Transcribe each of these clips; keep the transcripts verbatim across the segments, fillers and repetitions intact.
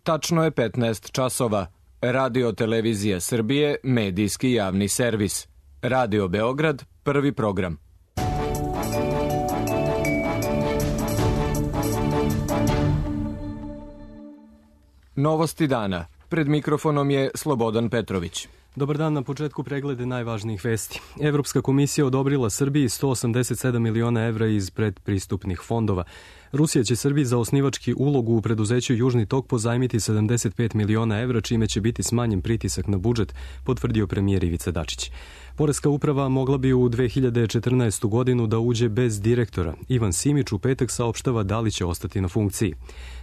Tačno je petnaest časova. Radio Televizija Srbije, medijski javni servis. Radio Beograd, prvi program. Novosti dana. Pred mikrofonom je Slobodan Petrović. Dobar dan, na početku preglede najvažnijih vesti. Evropska komisija odobrila Srbiji sto osamdeset sedam miliona evra iz predpristupnih fondova. Rusija će Srbiji za osnivački ulogu u preduzeću Južni tok pozajmiti sedamdeset pet miliona evra, čime će biti smanjen pritisak na budžet, potvrdio premijer Ivica Dačić. Poreska uprava mogla bi u dve hiljade četrnaestu. godinu da uđe bez direktora. Ivan Simić u petak saopštava da li će ostati na funkciji.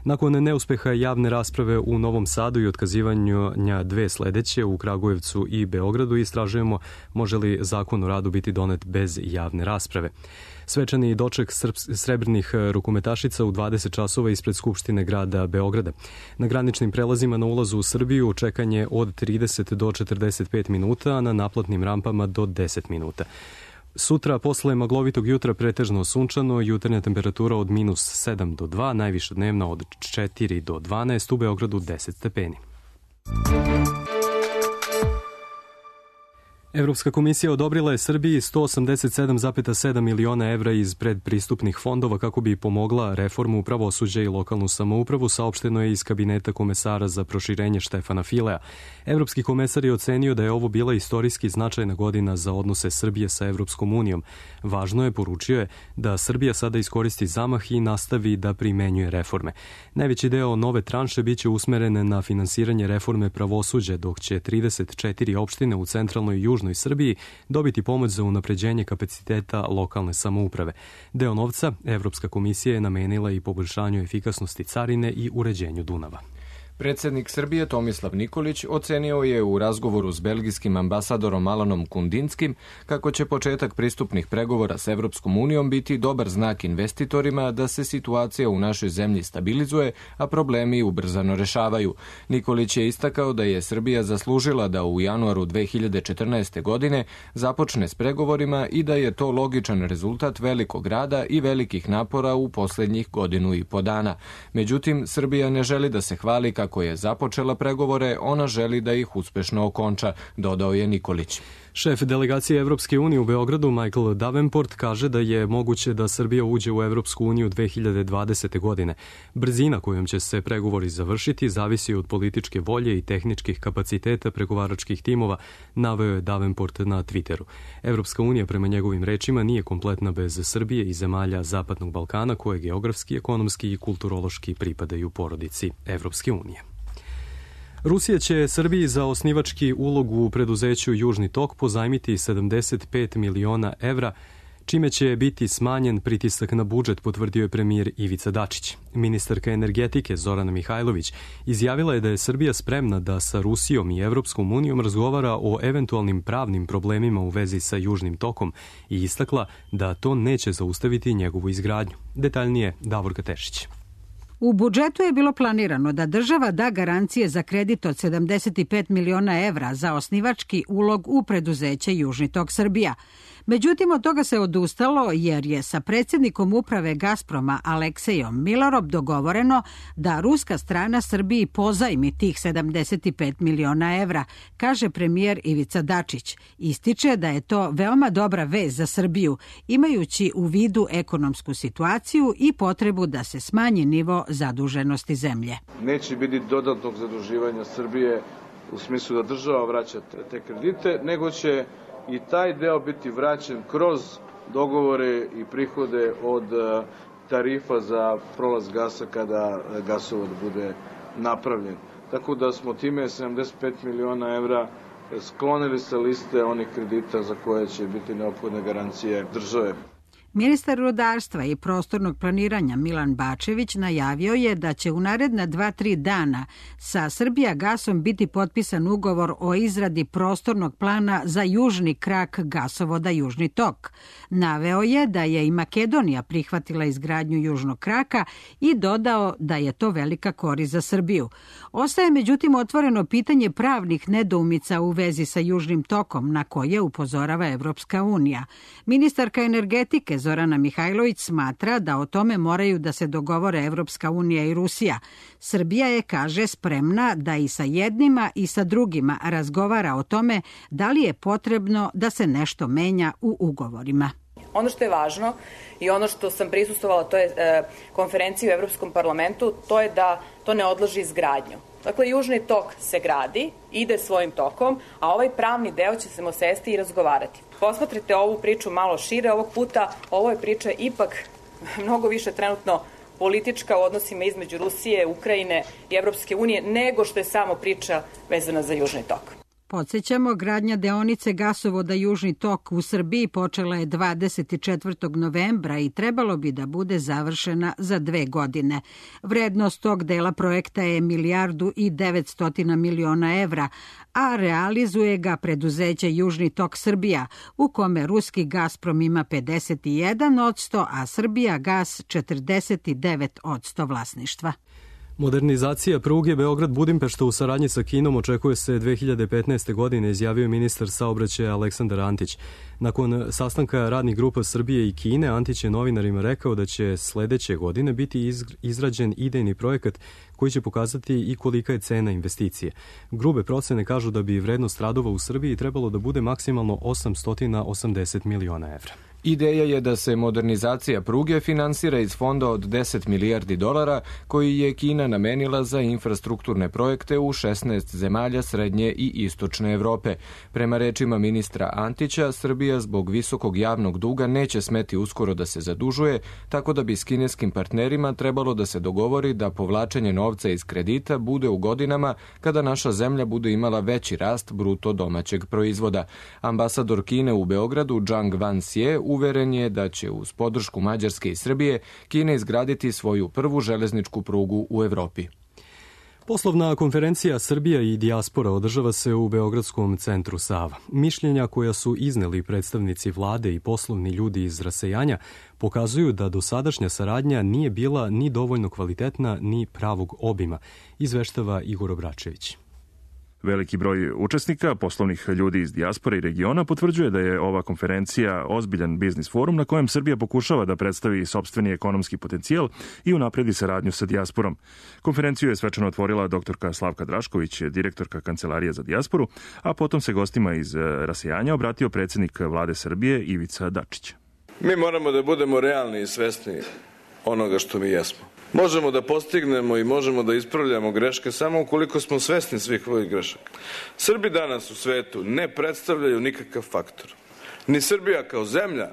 Nakon neuspeha javne rasprave u Novom Sadu i otkazivanja dve sledeće u Kragujevcu i Beogradu, istražujemo može li zakon o radu biti donet bez javne rasprave. Svečani doček srebrnih rukometašica u dvadeset časova ispred Skupštine grada Beograda. Na graničnim prelazima na ulazu u Srbiju čekanje od trideset do četrdeset pet minuta, a na naplatnim rampama do deset minuta. Sutra, posle maglovitog jutra, pretežno sunčano, jutarnja temperatura od minus sedam do dva, najviša dnevna od četiri do dvanaest, u Beogradu deset stepeni. Evropska komisija odobrila je Srbiji sto osamdeset sedam zarez sedam miliona evra iz predpristupnih fondova kako bi pomogla reformu pravosuđa i lokalnu samoupravu, saopšteno je iz kabineta komesara za proširenje Štefana Filea. Evropski komesar je ocenio da je ovo bila istorijski značajna godina za odnose Srbije sa Evropskom unijom. Važno je, poručio je, da Srbija sada iskoristi zamah i nastavi da primenjuje reforme. Najveći deo nove tranše biće usmeren na finansiranje reforme pravosuđa, dok će trideset četiri opštine u centralnoj i južnoj Srbiji dobiti pomoć za unapređenje kapaciteta lokalne samouprave. Deo novca Evropska komisija je namenila i poboljšanju efikasnosti carine i uređenju Dunava. Predsednik Srbije Tomislav Nikolić ocenio je u razgovoru s belgijskim ambasadorom Alanom Kundinskim kako će početak pristupnih pregovora s Evropskom unijom biti dobar znak investitorima da se situacija u našoj zemlji stabilizuje, a problemi ubrzano rešavaju. Nikolić je istakao da je Srbija zaslužila da u januaru dve hiljade četrnaeste. godine započne s pregovorima i da je to logičan rezultat velikog rada i velikih napora u poslednjih godinu i po dana. Međutim, Srbija ne želi da se hvali kako Ako je započela pregovore, ona želi da ih uspešno okonča, dodao je Nikolić. Šef delegacije Evropske unije u Beogradu, Michael Davenport, kaže da je moguće da Srbija uđe u Evropsku uniju dve hiljade dvadesete. godine. Brzina kojom će se pregovori završiti zavisi od političke volje i tehničkih kapaciteta pregovaračkih timova, naveo je Davenport na Twitteru. Evropska unija, prema njegovim rečima, nije kompletna bez Srbije i zemalja Zapadnog Balkana, koje geografski, ekonomski i kulturološki pripadaju porodici Evropske unije. Rusija će Srbiji za osnivački ulog u preduzeću Južni tok pozajmiti sedamdeset pet miliona evra, čime će biti smanjen pritisak na budžet, potvrdio je premijer Ivica Dačić. Ministarka energetike Zorana Mihajlović izjavila je da je Srbija spremna da sa Rusijom i Evropskom unijom razgovara o eventualnim pravnim problemima u vezi sa Južnim tokom i istakla da to neće zaustaviti njegovu izgradnju. Detaljnije Davorka Tešić. U budžetu je bilo planirano da država da garancije za kredit od sedamdeset pet miliona evra za osnivački ulog u preduzeće Južni tok Srbija. Međutim, od toga se odustalo jer je sa predsjednikom uprave Gazproma Aleksejom Milarov dogovoreno da ruska strana Srbiji pozajmi tih sedamdeset pet miliona evra, kaže premijer Ivica Dačić. Ističe da je to veoma dobra vez za Srbiju, imajući u vidu ekonomsku situaciju i potrebu da se smanji nivo zaduženosti zemlje. Neće biti dodatnog zaduživanja Srbije u smislu da država vraća te kredite, nego će i taj deo biti vraćen kroz dogovore i prihode od tarifa za prolaz gasa kada gasovod bude napravljen. Tako da smo time sedamdeset pet miliona evra sklonili sa liste onih kredita za koje će biti neophodne garancije države. Ministar rudarstva i prostornog planiranja Milan Bačević najavio je da će u naredna dva tri dana sa Srbijagasom biti potpisan ugovor o izradi prostornog plana za južni krak gasovoda Južni tok. Naveo je da je i Makedonija prihvatila izgradnju južnog kraka i dodao da je to velika korist za Srbiju. Ostaje međutim otvoreno pitanje pravnih nedoumica u vezi sa Južnim tokom, na koje upozorava Evropska unija. Ministarka energetike Srbije Zorana Mihajlović smatra da o tome moraju da se dogovore Evropska unija i Rusija. Srbija je, kaže, spremna da i sa jednima i sa drugima razgovara o tome da li je potrebno da se nešto menja u ugovorima. Ono što je važno i ono što sam prisustvovala, to je e, konferencija u Evropskom parlamentu, to je da to ne odloži izgradnju. Dakle, Južni tok se gradi, ide svojim tokom, a ovaj pravni deo će se sesti i razgovarati. Posmatrite ovu priču malo šire ovog puta, ovo je priča ipak mnogo više trenutno politička u odnosima između Rusije, Ukrajine i Evropske unije, nego što je samo priča vezana za Južni tok. Podsjećamo, gradnja deonice gasovoda Južni tok u Srbiji počela je dvadeset četvrtog novembra i trebalo bi da bude završena za dve godine. Vrednost tog dela projekta je milijardu i devetstotina miliona evra, a realizuje ga preduzeće Južni tok Srbija, u kome ruski Gazprom ima pedeset jedan odsto, a Srbija gas četrdeset devet odsto vlasništva. Modernizacija pruge Beograd-Budimpešta u saradnji sa Kinom očekuje se dve hiljade petnaeste. godine, izjavio ministar saobraćaja Aleksandar Antić. Nakon sastanka radnih grupa Srbije i Kine, Antić je novinarima rekao da će sledeće godine biti izrađen idejni projekat koji će pokazati i kolika je cena investicije. Grube procene kažu da bi vrednost radova u Srbiji trebalo da bude maksimalno osamsto osamdeset miliona evra. Ideja je da se modernizacija pruge finansira iz fonda od deset milijardi dolara koji je Kina namenila za infrastrukturne projekte u šesnaest zemalja srednje i istočne Evrope. Prema rečima ministra Antića, Srbija zbog visokog javnog duga neće smeti uskoro da se zadužuje, tako da bi s kineskim partnerima trebalo da se dogovori da povlačenje novca iz kredita bude u godinama kada naša zemlja bude imala veći rast bruto domaćeg proizvoda. Ambasador Kine u Beogradu, Zhang Wanxie, uveren je da će uz podršku Mađarske i Srbije Kina izgraditi svoju prvu železničku prugu u Evropi. Poslovna konferencija Srbija i dijaspora održava se u Beogradskom centru Sava. Mišljenja koja su izneli predstavnici vlade i poslovni ljudi iz rasejanja pokazuju da dosadašnja saradnja nije bila ni dovoljno kvalitetna ni pravog obima, izveštava Igor Obračević. Veliki broj učesnika, poslovnih ljudi iz dijaspore i regiona, potvrđuje da je ova konferencija ozbiljan biznis forum na kojem Srbija pokušava da predstavi sopstveni ekonomski potencijal i unapredi saradnju sa dijasporom. Konferenciju je svečano otvorila doktorka Slavka Drašković, direktorka Kancelarije za dijasporu, a potom se gostima iz rasejanja obratio predsjednik vlade Srbije Ivica Dačić. Mi moramo da budemo realni i svesni onoga što mi jesmo. Možemo da postignemo i možemo da ispravljamo greške samo ukoliko smo svesni svih ovih grešaka. Srbi danas u svetu ne predstavljaju nikakav faktor. Ni Srbija kao zemlja,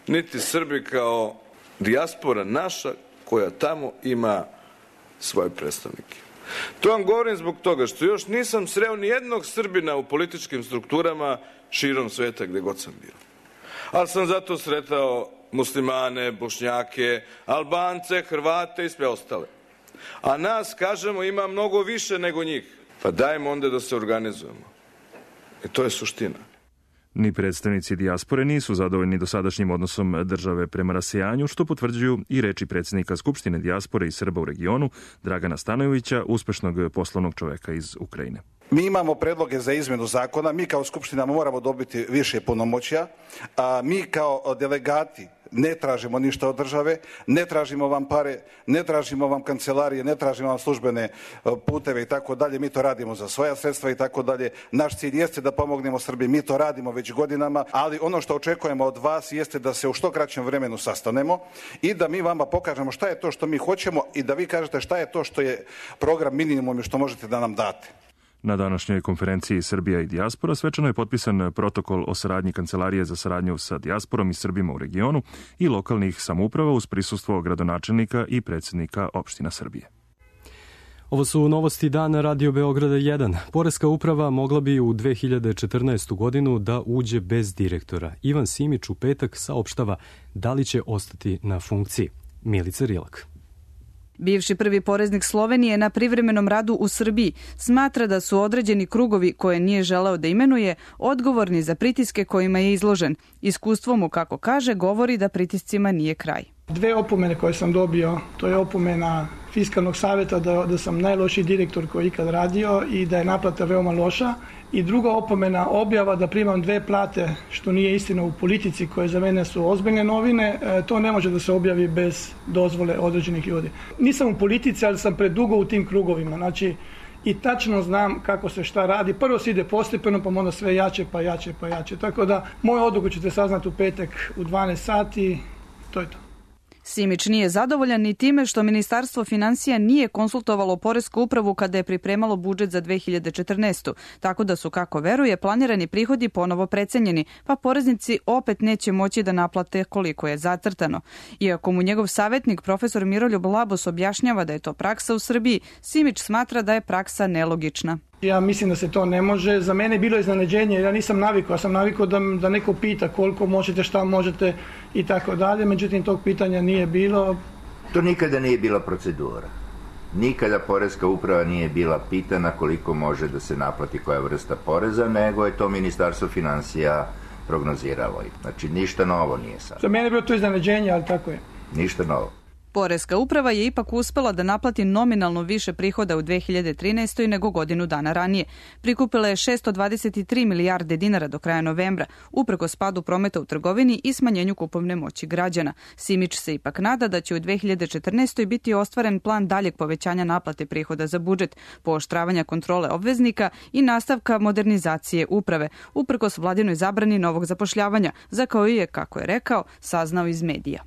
niti Srbi kao dijaspora naša koja tamo ima svoje predstavnike. To vam govorim zbog toga što još nisam sreo ni jednog Srbina u političkim strukturama širom sveta gde god sam bio. Ali sam zato sretao Muslimane, Bošnjake, Albance, Hrvate i sve ostale. A nas, kažemo, ima mnogo više nego njih. Pa dajmo onda da se organizujemo. I to je suština. Ni predstavnici dijaspore nisu zadovoljni dosadašnjim odnosom države prema rasejanju, što potvrđuju i reči predsjednika Skupštine dijaspore i Srba u regionu, Dragana Stanojevića, uspešnog poslovnog čoveka iz Ukrajine. Mi imamo predloge za izmenu zakona, mi kao Skupština moramo dobiti više punomoćja, a mi kao delegati ne tražimo ništa od države, ne tražimo vam pare, ne tražimo vam kancelarije, ne tražimo vam službene puteve i tako dalje, mi to radimo za svoja sredstva i tako dalje. Naš cilj jeste da pomognemo Srbiji, mi to radimo već godinama, ali ono što očekujemo od vas jeste da se u što kraćem vremenu sastanemo i da mi vama pokažemo šta je to što mi hoćemo i da vi kažete šta je to što je program minimum i što možete da nam date. Na današnjoj konferenciji Srbija i dijaspora svečano je potpisan protokol o saradnji Kancelarije za saradnju sa dijasporom i Srbima u regionu i lokalnih samouprava uz prisustvo gradonačelnika i predsjednika opština Srbije. Ovo su novosti dana Radio Beograda jedan. Poreska uprava mogla bi u dve hiljade četrnaestu. godinu da uđe bez direktora. Ivan Simić u petak saopštava da li će ostati na funkciji. Milica Rilak. Bivši prvi poreznik Slovenije na privremenom radu u Srbiji smatra da su određeni krugovi koje nije želeo da imenuje odgovorni za pritiske kojima je izložen. Iskustvo mu, kako kaže, govori da pritiscima nije kraj. Dve opomene koje sam dobio, to je opomena Fiskalnog savjeta da, da sam najlošiji direktor koji ikad radio i da je naplata veoma loša. I druga opomena, objava da primam dve plate, što nije istina u politici, koje za mene su ozbiljne novine, to ne može da se objavi bez dozvole određenih ljudi. Nisam u politici, ali sam predugo u tim krugovima, znači i tačno znam kako se šta radi. Prvo se ide postepeno, pa onda sve jače, pa jače, pa jače. Tako da moju odluku ćete saznati u petak u dvanaest sati, to je to. Simić nije zadovoljan ni time što Ministarstvo finansija nije konsultovalo Poresku upravu kada je pripremalo budžet za dve hiljade četrnaestu. Tako da su, kako veruje, planirani prihodi ponovo precenjeni, pa poreznici opet neće moći da naplate koliko je zacrtano. Iako mu njegov savjetnik, profesor Miroljub Labos, objašnjava da je to praksa u Srbiji, Simić smatra da je praksa nelogična. Ja mislim da se to ne može. Za mene je bilo iznenađenje, ja nisam navikao, ja sam navikao da, da neko pita koliko možete, šta možete i tako dalje, međutim tog pitanja nije bilo. To nikada nije bila procedura. Nikada Poreska uprava nije bila pitana koliko može da se naplati koja vrsta poreza, nego je to Ministarstvo finansija prognoziralo. Znači ništa novo nije sad. Za mene je bilo to iznenađenje, ali tako je. Ništa novo. Poreska uprava je ipak uspela da naplati nominalno više prihoda u dve hiljade trinaestoj nego godinu dana ranije. Prikupila je šesto dvadeset tri milijarde dinara do kraja novembra, uprkos padu prometa u trgovini i smanjenju kupovne moći građana. Simić se ipak nada da će u dve hiljade četrnaestoj biti ostvaren plan daljeg povećanja naplate prihoda za budžet, pooštravanja kontrole obveznika i nastavka modernizacije uprave, uprkos vladinoj zabrani novog zapošljavanja, za koju je, kako je rekao, saznao iz medija.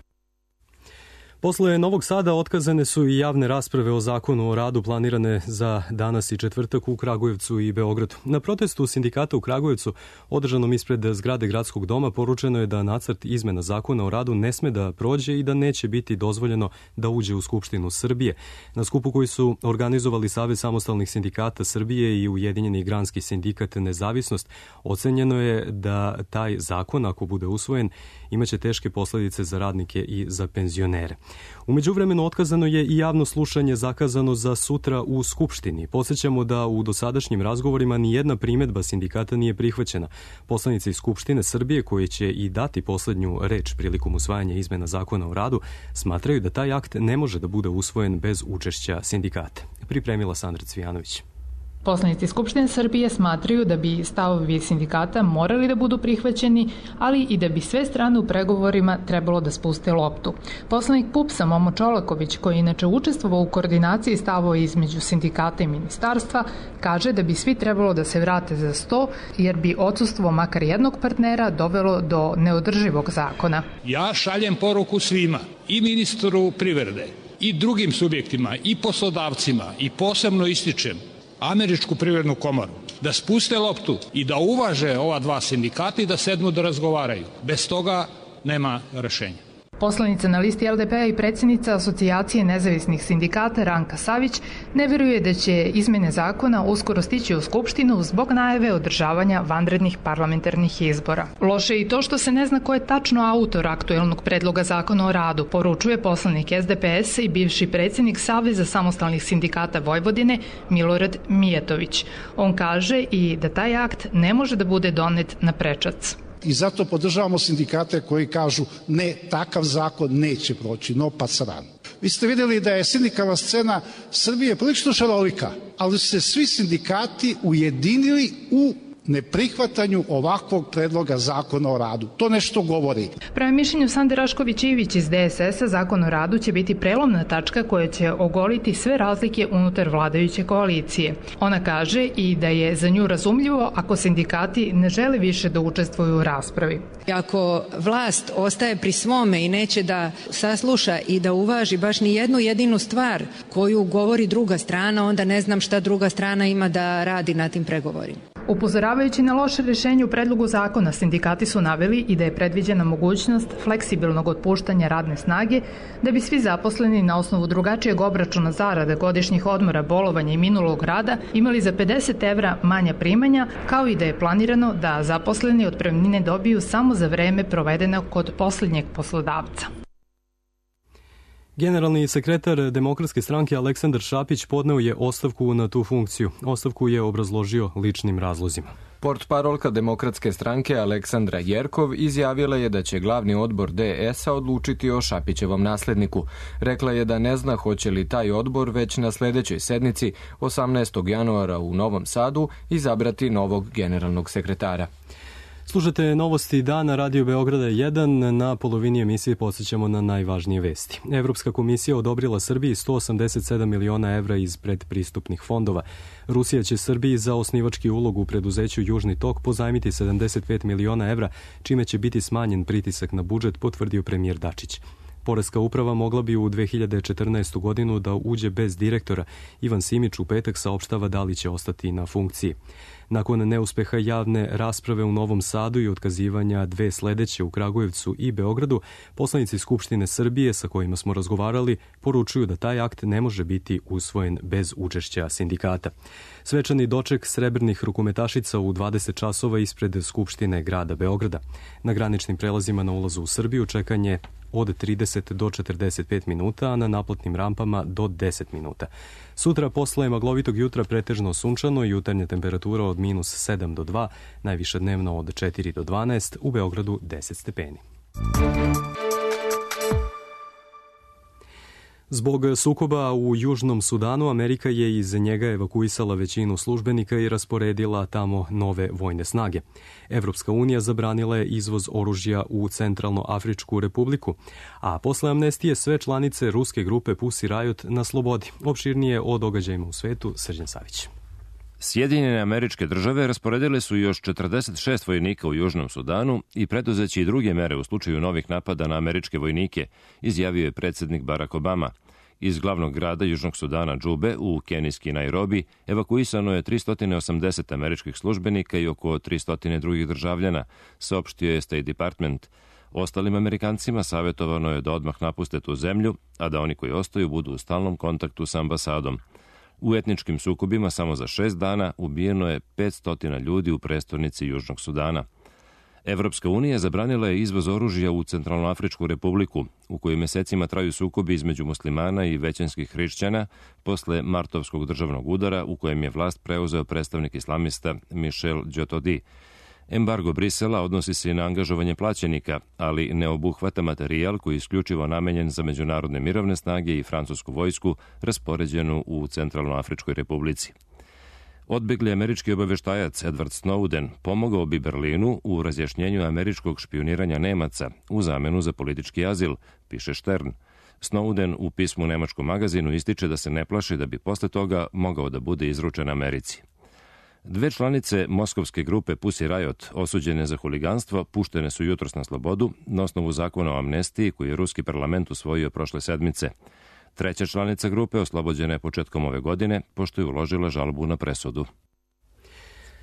Posle Novog Sada otkazane su i javne rasprave o zakonu o radu planirane za danas i četvrtak u Kragujevcu i Beogradu. Na protestu sindikata u Kragujevcu, održanom ispred zgrade Gradskog doma, poručeno je da nacrt izmena zakona o radu ne sme da prođe i da neće biti dozvoljeno da uđe u Skupštinu Srbije. Na skupu koji su organizovali Savez samostalnih sindikata Srbije i Ujedinjeni granski sindikat Nezavisnost, ocenjeno je da taj zakon, ako bude usvojen, imaće teške posledice za radnike i za penzionere. U međuvremenu otkazano je i javno slušanje zakazano za sutra u Skupštini. Podsjećamo da u dosadašnjim razgovorima ni jedna primedba sindikata nije prihvaćena. Poslanici Skupštine Srbije, koji će i dati poslednju reč prilikom usvajanja izmena zakona o radu, smatraju da taj akt ne može da bude usvojen bez učešća sindikata. Pripremila Sandra Cvijanović. Poslanici Skupštine Srbije smatraju da bi stavovi sindikata morali da budu prihvaćeni, ali i da bi sve strane u pregovorima trebalo da spuste loptu. Poslanik P U P S-a Momo Čolaković, koji je inače učestvovao u koordinaciji stavova između sindikata i ministarstva, kaže da bi svi trebalo da se vrate za sto, jer bi odsustvo makar jednog partnera dovelo do neodrživog zakona. Ja šaljem poruku svima, i ministru privrede, i drugim subjektima, i poslodavcima, i posebno ističem Američku privrednu komoru, da spuste loptu i da uvaže ova dva sindikata i da sednu da razgovaraju. Bez toga nema rešenja. Poslanica na listi L D P-a i predsjednica Asocijacije nezavisnih sindikata Ranka Savić ne veruje da će izmene zakona uskoro stići u Skupštinu zbog najave održavanja vanrednih parlamentarnih izbora. Loše je i to što se ne zna ko je tačno autor aktuelnog predloga zakona o radu, poručuje poslanik S D P S i bivši predsjednik Saveza samostalnih sindikata Vojvodine Milorad Mijatović. On kaže i da taj akt ne može da bude donet na prečac. I zato podržavamo sindikate koji kažu ne, takav zakon neće proći, no pa sran. Vi ste vidjeli da je sindikalna scena Srbije prilično šarolika, ali su se svi sindikati ujedinili u neprihvatanju ovakvog predloga zakona o radu. To nešto govori. Prema mišljenju Sande Rašković-Ivić iz D S S-a, zakon o radu će biti prelomna tačka koja će ogoliti sve razlike unutar vladajuće koalicije. Ona kaže i da je za nju razumljivo ako sindikati ne žele više da učestvuju u raspravi. Ako vlast ostaje pri svome i neće da sasluša i da uvaži baš ni jednu jedinu stvar koju govori druga strana, onda ne znam šta druga strana ima da radi na tim pregovorima. Upozoravajući na loše rješenje u predlogu zakona, sindikati su naveli i da je predviđena mogućnost fleksibilnog otpuštanja radne snage, da bi svi zaposleni na osnovu drugačijeg obračuna zarada, godišnjih odmora, bolovanja i minulog rada imali za pedeset evra manja primanja, kao i da je planirano da zaposleni otpremnine dobiju samo za vreme provedeno kod posljednjeg poslodavca. Generalni sekretar Demokratske stranke Aleksandar Šapić podneo je ostavku na tu funkciju. Ostavku je obrazložio ličnim razlozima. Portparolka Demokratske stranke Aleksandra Jerkov izjavila je da će glavni odbor D S-a odlučiti o Šapićevom nasledniku. Rekla je da ne zna hoće li taj odbor već na sledećoj sednici osamnaestog januara u Novom Sadu izabrati novog generalnog sekretara. Slušate novosti dana Radio Beograda jedan. Na polovini emisije podsjećamo na najvažnije vesti. Evropska komisija odobrila Srbiji sto osamdeset sedam miliona evra iz predpristupnih fondova. Rusija će Srbiji za osnivački ulog u preduzeću Južni tok pozajmiti sedamdeset pet miliona evra, čime će biti smanjen pritisak na budžet, potvrdio premijer Dačić. Poreska uprava mogla bi u dve hiljade četrnaestu godinu da uđe bez direktora. Ivan Simić u petak saopštava da li će ostati na funkciji. Nakon neuspeha javne rasprave u Novom Sadu i otkazivanja dve sledeće u Kragujevcu i Beogradu, poslanici Skupštine Srbije sa kojima smo razgovarali poručuju da taj akt ne može biti usvojen bez učešća sindikata. Svečani doček srebrnih rukometašica u dvadeset časova ispred Skupštine grada Beograda. Na graničnim prelazima na ulazu u Srbiju čekanje od trideset do četrdeset pet minuta, a na naplatnim rampama do deset minuta. Sutra posle maglovitog jutra pretežno sunčano i jutarnja temperatura od minus sedam do dva, najviša dnevno od četiri do dvanaest, u Beogradu deset stepeni. Zbog sukoba u Južnom Sudanu, Amerika je iz njega evakuisala većinu službenika i rasporedila tamo nove vojne snage. Evropska unija zabranila je izvoz oružja u Centralnoafričku republiku, a posle amnestije sve članice ruske grupe Pussy Riot na slobodi. Opširnije o događajima u svetu, Srđan Savić. Sjedinjene Američke Države rasporedile su još četrdeset šest vojnika u Južnom Sudanu i preduzeći i druge mere u slučaju novih napada na američke vojnike, izjavio je predsjednik Barack Obama. Iz glavnog grada Južnog Sudana Džube u kenijski Nairobi evakuisano je tristo osamdeset američkih službenika i oko tristo drugih državljana, saopštio je State Department. Ostalim Amerikancima savjetovano je da odmah napuste tu zemlju, a da oni koji ostaju budu u stalnom kontaktu sa ambasadom. U etničkim sukobima samo za šest dana ubijeno je petsto ljudi u prestonici Južnog Sudana. Evropska unija zabranila je izvoz oružja u Centralnoafričku republiku, u kojoj mesecima traju sukobi između muslimana i većinskih hrišćana posle martovskog državnog udara u kojem je vlast preuzeo predstavnik islamista Michel Djotodi. Embargo Brisela odnosi se i na angažovanje plaćenika, ali ne obuhvata materijal koji je isključivo namenjen za međunarodne mirovne snage i francusku vojsku raspoređenu u Centralnoafričkoj republici. Odbegli američki obaveštajac Edward Snowden pomogao bi Berlinu u razjašnjenju američkog špioniranja Nemaca u zamenu za politički azil, piše Stern. Snowden u pismu nemačkom magazinu ističe da se ne plaši da bi posle toga mogao da bude izručen Americi. Dve članice moskovske grupe Pussy Riot, osuđene za huliganstvo, puštene su jutros na slobodu na osnovu zakona o amnestiji koji je ruski parlament usvojio prošle sedmice. Treća članica grupe oslobođena je početkom ove godine, pošto je uložila žalbu na presudu.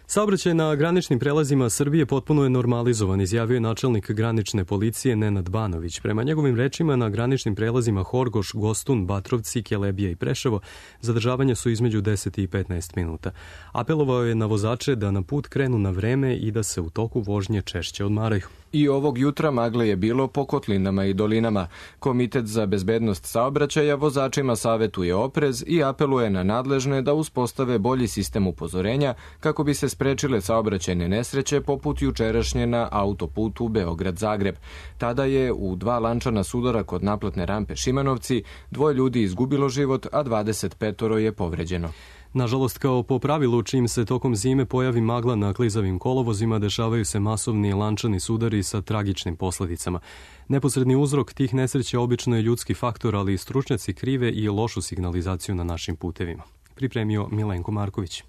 Saobraćaj na graničnim prelazima Srbije potpuno je normalizovan, izjavio je načelnik granične policije Nenad Banović. Prema njegovim rečima, na graničnim prelazima Horgoš, Gostun, Batrovci, Kelebija i Preševo zadržavanja su između deset i petnaest minuta. Apelovao je na vozače da na put krenu na vreme i da se u toku vožnje češće odmaraju. I ovog jutra magle je bilo po kotlinama i dolinama. Komitet za bezbednost saobraćaja vozačima savetuje oprez i apeluje na nadležne da uspostave bolji sistem upozorenja kako bi se sprečile saobraćajne nesreće poput jučerašnje na autoputu Beograd-Zagreb. Tada je u dva lančana sudara kod naplatne rampe Šimanovci dvoje ljudi izgubilo život, a dvadeset petoro je povređeno. Nažalost, kao po pravilu, čim se tokom zime pojavi magla na klizavim kolovozima, dešavaju se masovni lančani sudari sa tragičnim posledicama. Neposredni uzrok tih nesreća obično je ljudski faktor, ali i stručnjaci krive i lošu signalizaciju na našim putevima. Pripremio Milenko Marković.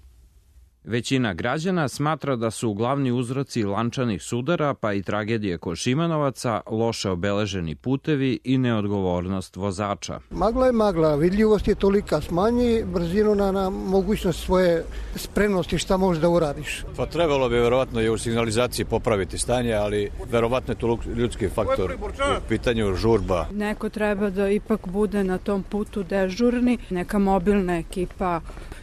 Većina građana smatra da su glavni uzroci lančanih sudara, pa i tragedije kod Šimanovaca, loše obeleženi putevi i neodgovornost vozača. Magla je magla, vidljivost je tolika, smanji brzinu na, na mogućnost svoje spremnosti šta možeš da uradiš. Pa trebalo bi verovatno i u signalizaciji popraviti stanje, ali verovatno je to ljudski faktor u pitanju žurba. Neko treba da ipak bude na tom putu dežurni, neka mobilna ekipa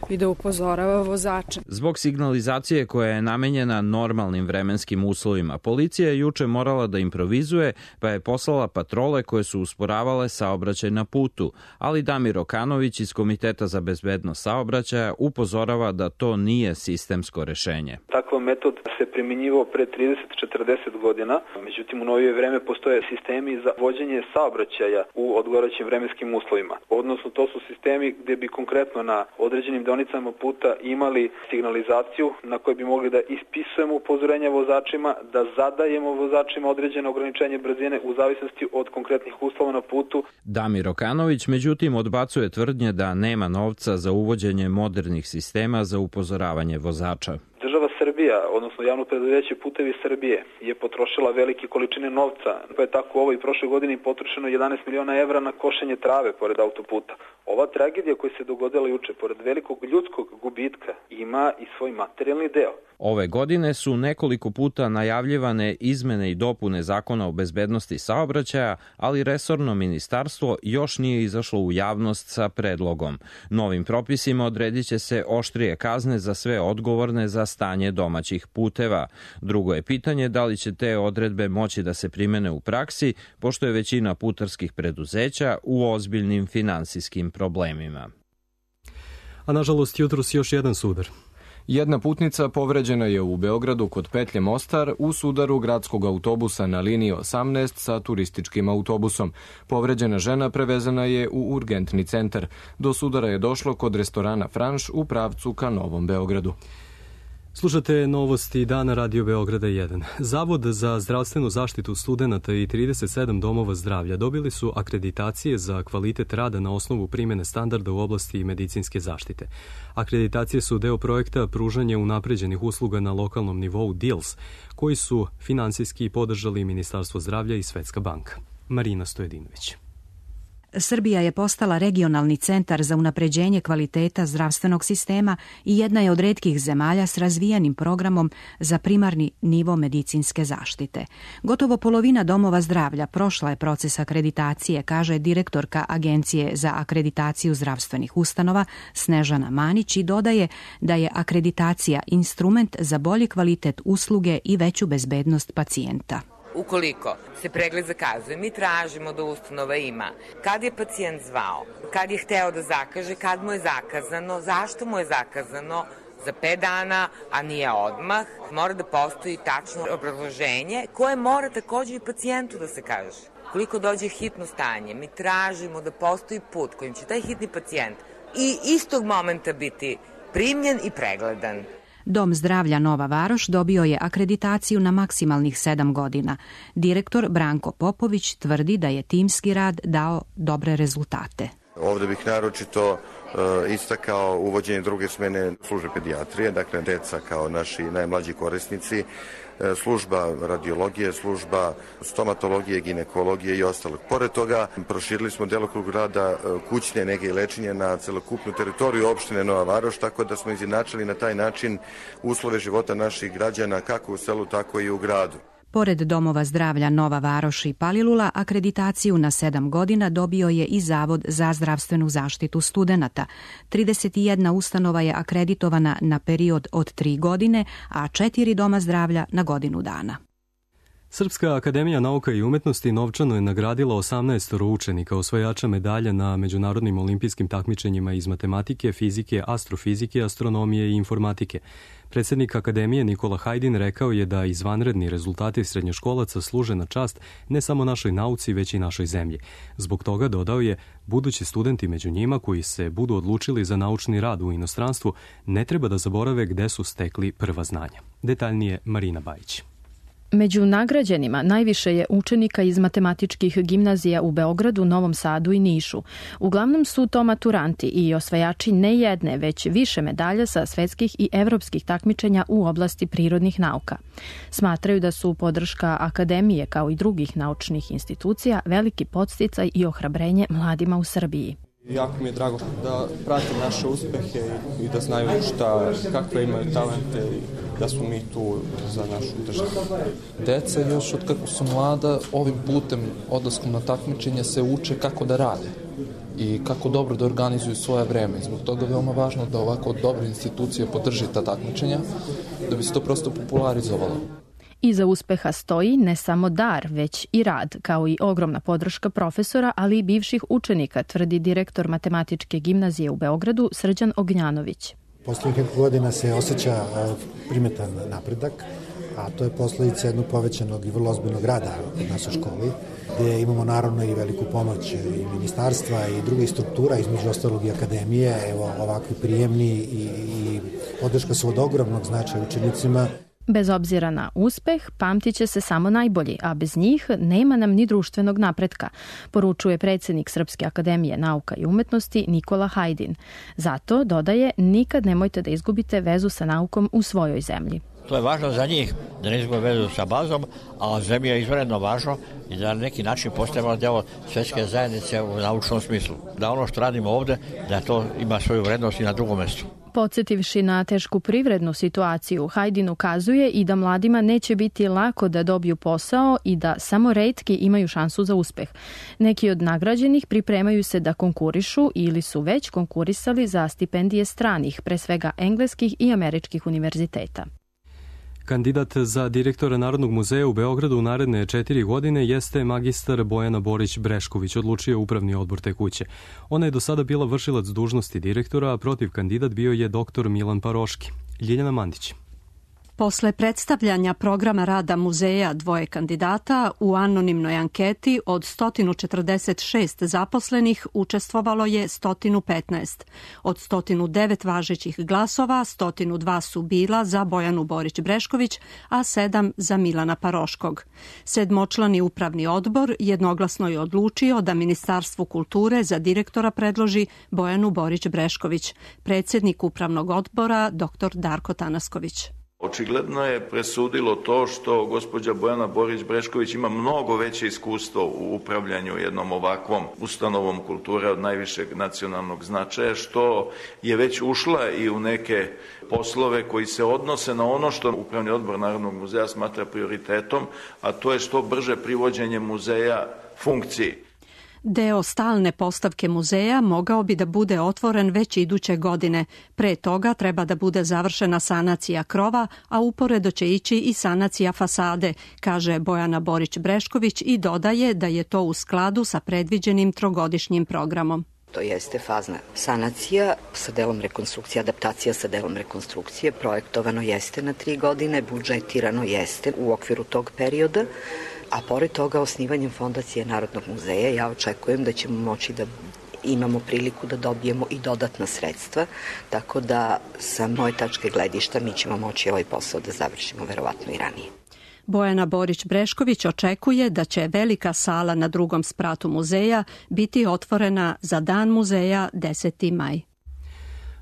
i da upozorava vozača. Zbog zbog signalizacije koja je namenjena normalnim vremenskim uslovima. Policija je juče morala da improvizuje, pa je poslala patrole koje su usporavale saobraćaj na putu, ali Damir Okanović iz Komiteta za bezbednost saobraćaja upozorava da to nije sistemsko rešenje. Takav metod se primjenjivao pre trideset do četrdeset godina, međutim u novije vreme postoje sistemi za vođenje saobraćaja u odgovarajućim vremenskim uslovima. Odnosno to su sistemi gde bi konkretno na određenim deonicama puta imali signalizaciju na kojoj bi mogli da ispisujemo upozorenja vozačima, da zadajemo vozačima određene ograničenje brzine u zavisnosti od konkretnih uslova na putu. Damir Okanović međutim odbacuje tvrdnje da nema novca za uvođenje modernih sistema za upozoravanje vozača. Država Srbija, odnosno javno preduzeće Putevi Srbije, je potrošila velike količine novca, pa je tako u ovoj prošle godini potrošeno jedanaest miliona evra na košenje trave pored autoputa. Ova tragedija koja se dogodila juče, pored velikog ljudskog gubitka, ima i svoj materijalni deo. Ove godine su nekoliko puta najavljivane izmene i dopune Zakona o bezbednosti saobraćaja, ali resorno ministarstvo još nije izašlo u javnost sa predlogom. Novim propisima odredit će se oštrije kazne za sve odgovorne za stanje domaćih puteva. Drugo je pitanje da li će te odredbe moći da se primene u praksi, pošto je većina putarskih preduzeća u ozbiljnim finansijskim problemima. A nažalost jutros još jedan sudar. Jedna putnica povređena je u Beogradu kod petlje Mostar u sudaru gradskog autobusa na liniji osamnaest sa turističkim autobusom. Povređena žena prevezena je u urgentni centar. Do sudara je došlo kod restorana Franš u pravcu ka Novom Beogradu. Slušate novosti dana Radio Beograda jedan. Zavod za zdravstvenu zaštitu studenata i trideset sedam domova zdravlja dobili su akreditacije za kvalitet rada na osnovu primjene standarda u oblasti medicinske zaštite. Akreditacije su deo projekta pružanja unapređenih usluga na lokalnom nivou D I L S, koji su finansijski podržali Ministarstvo zdravlja i Svetska banka. Marina Stojedinović. Srbija je postala regionalni centar za unapređenje kvaliteta zdravstvenog sistema i jedna je od retkih zemalja s razvijenim programom za primarni nivo medicinske zaštite. Gotovo polovina domova zdravlja prošla je proces akreditacije, kaže direktorka Agencije za akreditaciju zdravstvenih ustanova Snežana Manić i dodaje da je akreditacija instrument za bolji kvalitet usluge i veću bezbednost pacijenta. Ukoliko se pregled zakazuje, mi tražimo da ustanova ima kad je pacijent zvao, kad je hteo da zakaže, kad mu je zakazano, zašto mu je zakazano za pet dana, a nije odmah. Mora da postoji tačno obrazloženje koje mora također i pacijentu da se kaže. Koliko dođe hitno stanje, mi tražimo da postoji put kojim će taj hitni pacijent i istog momenta biti primljen i pregledan. Dom zdravlja Nova Varoš dobio je akreditaciju na maksimalnih sedam godina. Direktor Branko Popović tvrdi da je timski rad dao dobre rezultate. Ovdje bih naročito uh, istakao uvođenje druge smene službe pedijatrije, dakle deca kao naši najmlađi korisnici, služba radiologije, služba stomatologije, ginekologije i ostalog. Pored toga, proširili smo delokrug rada kućne nege i lečenja na celokupnu teritoriju opštine Nova Varoš, tako da smo izjednačili na taj način uslove života naših građana kako u selu, tako i u gradu. Pored domova zdravlja Nova Varoš i Palilula, akreditaciju na sedam godina dobio je i Zavod za zdravstvenu zaštitu studenata. trideset jedna ustanova je akreditovana na period od tri godine, a četiri doma zdravlja na godinu dana. Srpska akademija nauka i umetnosti novčano je nagradila osamnaest učenika osvajača medalja na međunarodnim olimpijskim takmičenjima iz matematike, fizike, astrofizike, astronomije i informatike. Predsjednik akademije Nikola Hajdin rekao je da izvanredni rezultati srednjoškolaca služe na čast ne samo našoj nauci, već i našoj zemlji. Zbog toga, dodao je, budući studenti među njima koji se budu odlučili za naučni rad u inostranstvu ne treba da zaborave gde su stekli prva znanja. Detaljnije Marina Bajić. Među nagrađenima najviše je učenika iz matematičkih gimnazija u Beogradu, Novom Sadu i Nišu. Uglavnom su to maturanti i osvajači ne jedne, već više medalja sa svetskih i evropskih takmičenja u oblasti prirodnih nauka. Smatraju da su podrška akademije kao i drugih naučnih institucija veliki podsticaj i ohrabrenje mladima u Srbiji. Jako mi je drago da pratim naše uspehe i da znaju šta, kakve imaju talente i da smo mi tu za našu državu. Deca još od kako su mlada ovim putem odlaskom na takmičenje se uče kako da rade. i kako dobro da organizuju svoje vreme. Zbog toga je veoma važno da ovako dobre institucije podrži ta takmičenja, da bi se to prosto popularizovalo. Iza uspeha stoji ne samo dar, već i rad, kao i ogromna podrška profesora, ali i bivših učenika, tvrdi direktor Matematičke gimnazije u Beogradu Srđan Ognjanović. Poslednjih godina se osjeća primetan napredak, a to je posledica jednog povećanog i vrlo ozbiljnog rada u našoj školi, gdje imamo naravno i veliku pomoć i ministarstva i drugih struktura, između ostalog i akademije, evo ovakvi prijemni i, i podrška su od ogromnog značaja učenicima. Bez obzira na uspeh, pamtit će se samo najbolji, a bez njih nema nam ni društvenog napretka, poručuje predsjednik Srpske akademije nauka i umetnosti Nikola Hajdin. Zato, dodaje, nikad nemojte da izgubite vezu sa naukom u svojoj zemlji. To je važno za njih, da ne izgube vezu sa bazom, a zemlji je izvanredno važno i da na neki način postajemo deo svjetske zajednice u naučnom smislu. Da ono što radimo ovdje, da to ima svoju vrednost i na drugom mjestu. Podsjetivši na tešku privrednu situaciju, Hajdin ukazuje i da mladima neće biti lako da dobiju posao i da samo retki imaju šansu za uspeh. Neki od nagrađenih pripremaju se da konkurišu ili su već konkurisali za stipendije stranih, pre svega engleskih i američkih univerziteta. Kandidat za direktora Narodnog muzeja u Beogradu u naredne četiri godine jeste magistar Bojana Borić-Brešković, odlučio upravni odbor te kuće. Ona je do sada bila vršilac dužnosti direktora, a protiv kandidat bio je doktor Milan Paroški. Ljiljana Mandić. Posle predstavljanja programa rada muzeja dvoje kandidata u anonimnoj anketi od sto četrdeset šest zaposlenih učestvovalo je sto petnaest. Od sto devet važećih glasova, sto dva su bila za Bojanu Borić-Brešković, a sedam za Milana Paroškog. Sedmočlani upravni odbor jednoglasno je odlučio da Ministarstvu kulture za direktora predloži Bojanu Borić-Brešković. Predsjednik upravnog odbora dr Darko Tanasković. Očigledno je presudilo to što gospođa Bojana Borić-Brešković ima mnogo veće iskustvo u upravljanju jednom ovakvom ustanovom kulture od najvišeg nacionalnog značaja, što je već ušla i u neke poslove koji se odnose na ono što Upravni odbor Narodnog muzeja smatra prioritetom, a to je što brže privođenje muzeja funkciji. Deo stalne postavke muzeja mogao bi da bude otvoren već iduće godine. Pre toga treba da bude završena sanacija krova, a uporedo će ići i sanacija fasade, kaže Bojana Borić-Brešković i dodaje da je to u skladu sa predviđenim trogodišnjim programom. To jeste fazna sanacija sa delom rekonstrukcije, adaptacija sa delom rekonstrukcije. Projektovano jeste na tri godine, budžetirano jeste u okviru tog perioda. A pored toga, osnivanjem Fondacije Narodnog muzeja, ja očekujem da ćemo moći da imamo priliku da dobijemo i dodatna sredstva, tako da sa moje tačke gledišta mi ćemo moći ovaj posao da završimo verovatno i ranije. Bojana Borić-Brešković očekuje da će velika sala na drugom spratu muzeja biti otvorena za Dan muzeja deseti maj.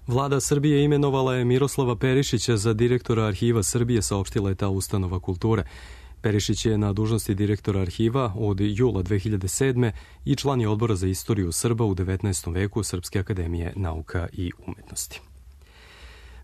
Vlada Srbije imenovala je Miroslava Perišića za direktora Arhiva Srbije, saopštila je ta ustanova kulture. Perišić je na dužnosti direktora arhiva od jula dve hiljade sedme. i član je odbora za istoriju Srba u devetnaestom veku Srpske akademije nauka i umetnosti.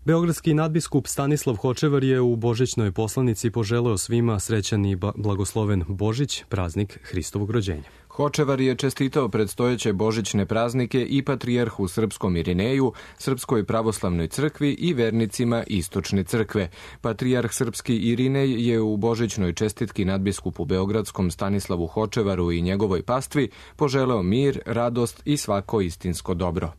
Beogradski nadbiskup Stanislav Hočevar je u božićnoj poslanici poželeo svima srećan i blagosloven Božić, praznik Hristovog rođenja. Hočevar je čestitao predstojeće božićne praznike i patrijarhu Srpskom Irineju, Srpskoj pravoslavnoj crkvi i vernicima Istočne crkve. Patrijarh Srpski Irinej je u božićnoj čestitki nadbiskupu Beogradskom Stanislavu Hočevaru i njegovoj pastvi poželeo mir, radost i svako istinsko dobro.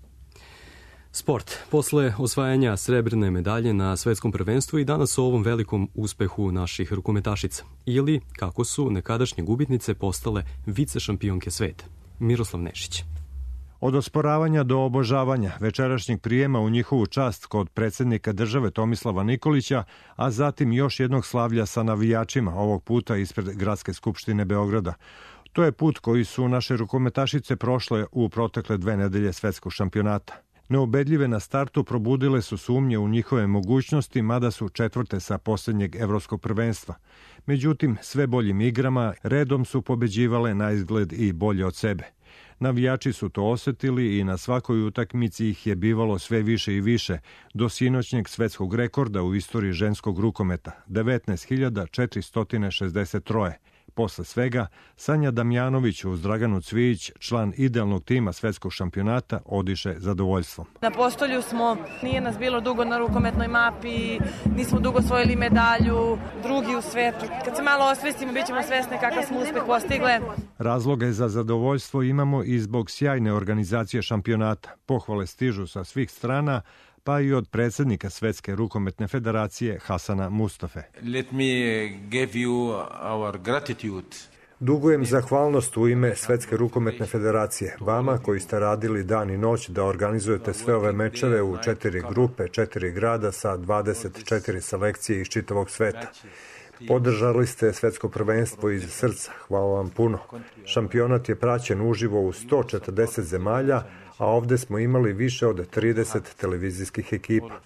Sport. Posle osvajanja srebrne medalje na svetskom prvenstvu i danas o ovom velikom uspehu naših rukometašica. Ili kako su nekadašnje gubitnice postale vice šampionke sveta. Miroslav Nešić. Od osporavanja do obožavanja večerašnjeg prijema u njihovu čast kod predsjednika države Tomislava Nikolića, a zatim još jednog slavlja sa navijačima, ovog puta ispred Gradske skupštine Beograda. To je put koji su naše rukometašice prošle u protekle dve nedelje svetskog šampionata. Neubedljive na startu probudile su sumnje u njihove mogućnosti, mada su četvrte sa posljednjeg evropskog prvenstva. Međutim, sve boljim igrama redom su pobeđivale na izgled i bolje od sebe. Navijači su to osjetili i na svakoj utakmici ih je bivalo sve više i više, do sinoćnjeg svetskog rekorda u istoriji ženskog rukometa, devetnaest hiljada četiristo šezdeset tri. Posle svega, Sanja Damjanović uz Draganu Cvijić, član idealnog tima svetskog šampionata, odiše zadovoljstvom. Na postolju smo, nije nas bilo dugo na rukometnoj mapi, nismo dugo osvojili medalju, drugi u svetu. Kad se malo osvestimo, bit ćemo svesni kakav smo uspeh postigle. Razloge za zadovoljstvo imamo i zbog sjajne organizacije šampionata. Pohvale stižu sa svih strana, pa i od predsjednika Svetske rukometne federacije Hasana Mustafe. Let me give you our gratitude. Dugujem zahvalnost u ime Svetske rukometne federacije, vama koji ste radili dan i noć da organizujete sve ove mečeve u četiri grupe, četiri grada sa dvadeset četiri selekcije iz čitavog sveta. Podržali ste svetsko prvenstvo iz srca, hvala vam puno. Šampionat je praćen uživo u sto četrdeset zemalja, a ovde smo imali više od trideset televizijskih ekipa.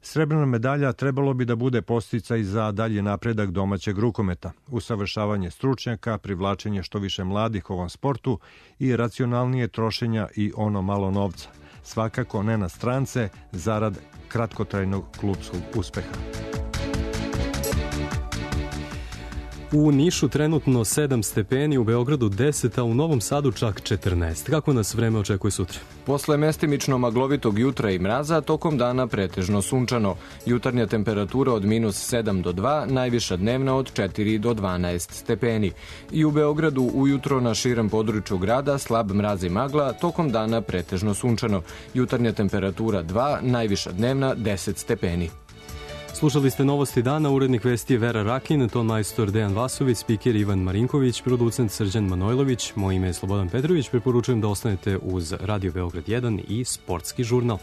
Srebrna medalja trebalo bi da bude posticaj za dalji napredak domaćeg rukometa, usavršavanje stručnjaka, privlačenje što više mladih ovom sportu i racionalnije trošenja i ono malo novca. Svakako ne na strance, zarad kratkotrajnog klupskog uspeha. U Nišu trenutno sedam stepeni, u Beogradu deset, a u Novom Sadu čak četrnaest. Kako nas vreme očekuje sutra? Posle mestimično maglovitog jutra i mraza, tokom dana pretežno sunčano. Jutarnja temperatura od minus sedam do dva, najviša dnevna od četiri do dvanaest stepeni. I u Beogradu ujutro na širem području grada slab mraz i magla, tokom dana pretežno sunčano. Jutarnja temperatura dva, najviša dnevna deset stepeni. Slušali ste Novosti dana, urednik vesti je Vera Rakin, ton majstor Dejan Vasović, spiker Ivan Marinković, producent Srđan Manojlović, moje ime je Slobodan Petrović, preporučujem da ostanete uz Radio Beograd jedan i Sportski žurnal.